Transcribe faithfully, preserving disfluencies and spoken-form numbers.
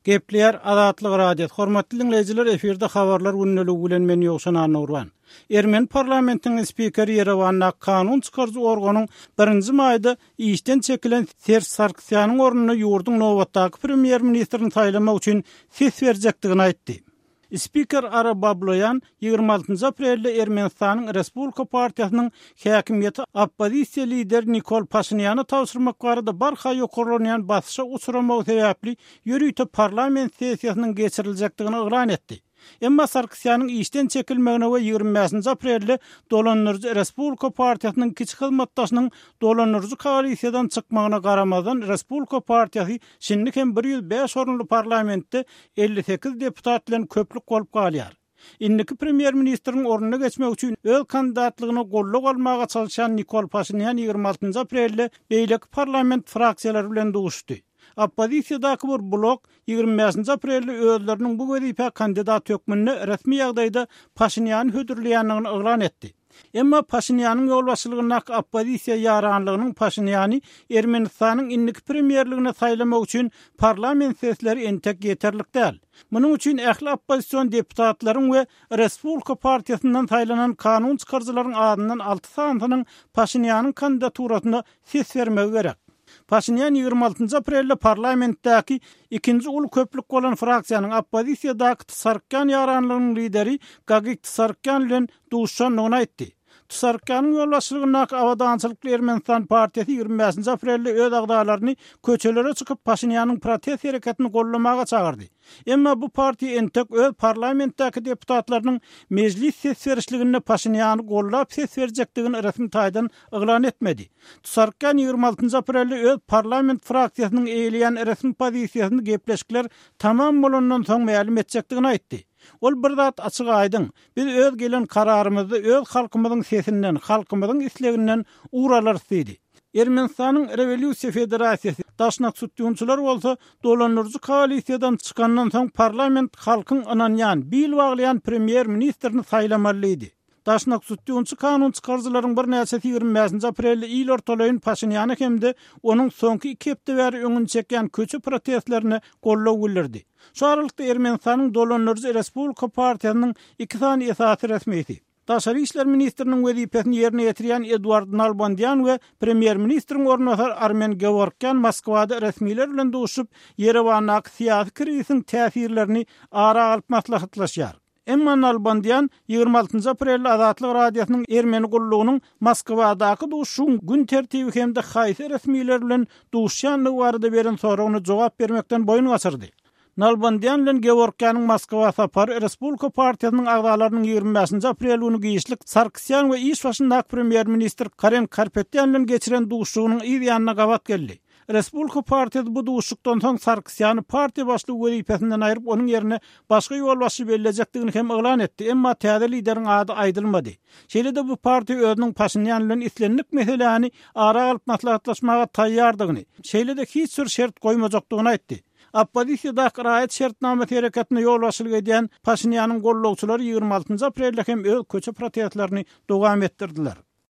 Gepleýär Azatlyk Radiosy. Hormatly diňleýjiler, efirde habarlar gündeligi bilen men Ýowşan Annagurban. Ermeni parlamentiniň spikeri Ýerewanda kanun çykaryjy organyň birinji maýda işden çekilen Serj Sarkisýanyň ornuna ýurduň nobatdaky premýer-ministrini saýlamak üçin ses berjekdigini aýtdy. Spiker Ara Babloýan ýigrimi altynjy aprelde Ermenistanyň Respublika partiýasynyň häkimiýeti oppozisiýa lideri Nikol Paşinýana tabşyrmak barada barha ýokarlanýan basyşa uçramagy sebäpli ýörite parlament sessiýasynyň geçiriljekdigini yglan etdi. Emma Sarkisýanyň işden çekilmegine we ýigrimi bäşinji aprelde dolandyryjy Respublika partiýasynyň kiçi hyzmatdaşynyň dolandyryjy koalisiýadan çykmagyna garamazdan Respublika partiýasy şindi hem bir ýüz bäş orunly parlamentde elli sekiz deputat bilen köplük bolup galýar. Indiki premýer-ministriň ornuna geçmek üçin öz kandidatlygyna goldaw almaga çalyşan Nikol Paşinýan ýigrimi altynjy aprelde beýleki parlament fraksiýalary bilen duşuşdy. Oppozisiýadaky bir blok ýigrimi bäşinji aprelde özleriniň bu wezipä kandidat hökmünde resmi ýagdaýda Paşinýany hödürleýändigini yglan etdi. Emma Paşinýanyň ýolbaşçylygyndaky oppozisiýa ýaranlygynyň Paşinýany Ermenistanyň indiki premýerligine saýlamak üçin parlament sesleri entek ýeterlik däl. Munuň üçin ähli oppozision deputatlaryň we Respublika partiýasyndan saýlanan kanun çykaryjylaryň adyndan alty sanysynyň Paşinýanyň kandidaturasyna ses bermegi gerek. Paşinýan ýigrimi altynjy aprelde parlamentdäki ikinji uly köplük bolan fraksiýanyň oppozisiýadaky Tsarkýan ýaranlygynyň lideri Gagik Tsarkýan bilen duşuşandygyny aýtdy. Tsarkýanyň ýolbaşçylygyndaky Abadançylykly Ermenistan partiýasy ýigrimi bäşinji aprelde öz agzalaryny köçelere çykyp Paşinýanyň protest hereketini goldamaga çagyrdy. Emma bu partiýa entek öz parlamentdäki deputatlarynyň mejlis ses berişliginde Paşinýany goldap ses berjekdigini resmi taýdan yglan etmedi. Tsarkýan ýigrimi altynjy aprelde öz parlament fraksiýasynyň eýeleýän resmi pozisiýasyny gepleşikler tamam bolandan soň mälim etjekdigini aýtdy. Ol bir zat açyk aýdyň, biz öz gelen kararymyzda öz halkymyzyň sesinden, halkymyzyň isleginden ugur alarys diýdi. Ermenistanyň Rewolýusiýa Federasiýasy Daşnak Sütýunçylar bolsa dolandyryjy koalisiýadan çykandan soň parlament halkyň ynanýan, bil baglaýan premýer-ministrini saýlamaly diýdi. Daşnak Sütýunçy kanun çykaryjylaryň birnäçesi ýigrimi bäşinji aprelde il ortalaýyn Paşinýany hem-de onuň soňky iki hepde bäri öňüni çekýän köçe protestlerine goldaw bildirdi. Şu aralykda Ermenistanyň dolandyryjy Respublika partiýasynyň iki sany esasy resmisi, Daşary işler ministriniň wezipesini ýerine ýetirýän Eduard Nalbandýan we premýer-ministriň orunbasary Armen Geworkýan Moskwada resmiler bilen duşup, Ýerewandaky syýasy krizisiň täsirlerini ara alyp maslahatlaşýar. Emma Nalbandýan ýigrimi altynjy aprelde Azatlyk Radiosynyň Ermeni gullugynyň Moskwadaky duşuşygyň gün tertibi hem-de haýsy resmiler bilen duşýandygy barada beren soragyna jogap bermekden boýun gaçyrdy. Nalbandýan bilen Geworkýanyň Moskwa sapary Respublika partiýasynyň agzalarynyň ýigrimi bäşinji aprel güni giçlik Sarkisýan we iş başyndaky premýer-ministr Karen Karpetýan bilen geçiren duşuşygynyň yz ýanyna gabat geldi. Respublika partiýasy bu duşuşykdan soň Sarkisýany partiýa başlygy wezipesinden aýryp, onuň ýerine başga ýolbaşçy bellejekdigini hem yglan etdi, emma täze lideriň ady aýdylmady. Şeýle-de bu partiýa özüniň Paşinýan bilen islendik meseläni ara alyp maslahatlaşmaga taýýardygyny, şeýle-de hiç bir şert goýmajakdygyny aýtdy. Oppozisiýadaky raýat şertnamasy hereketine ýolbaşçylyk edýän Paşinýanyň gollagçylary ýigrimi altynjy aprelde hem öz köçe protestlerini dowam etdirdiler.